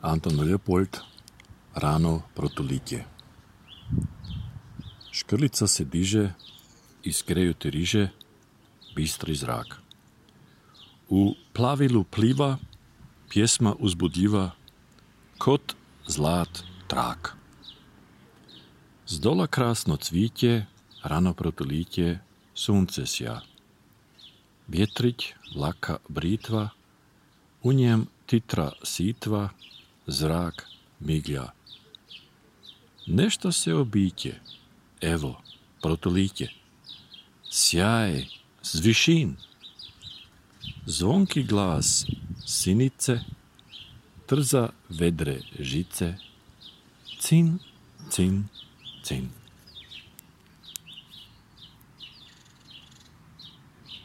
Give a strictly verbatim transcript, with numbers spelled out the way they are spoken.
Anton Leopold, Ráno protolitje. Škrlica se diže, iskreju te riže, bistri zrak. U plavilu pliva, pjesma uzbudljiva, kot zlat trak. Zdola krasno cvitje, rano protolitje, sunce sja. Vjetrić laka britva, u njem titra sitva, zrak miglja. Nešto se obiće, evo, protolitje. Sjaj, zvišin. Zvonki glas sinice, trza vedre žice, cin, cin, cin.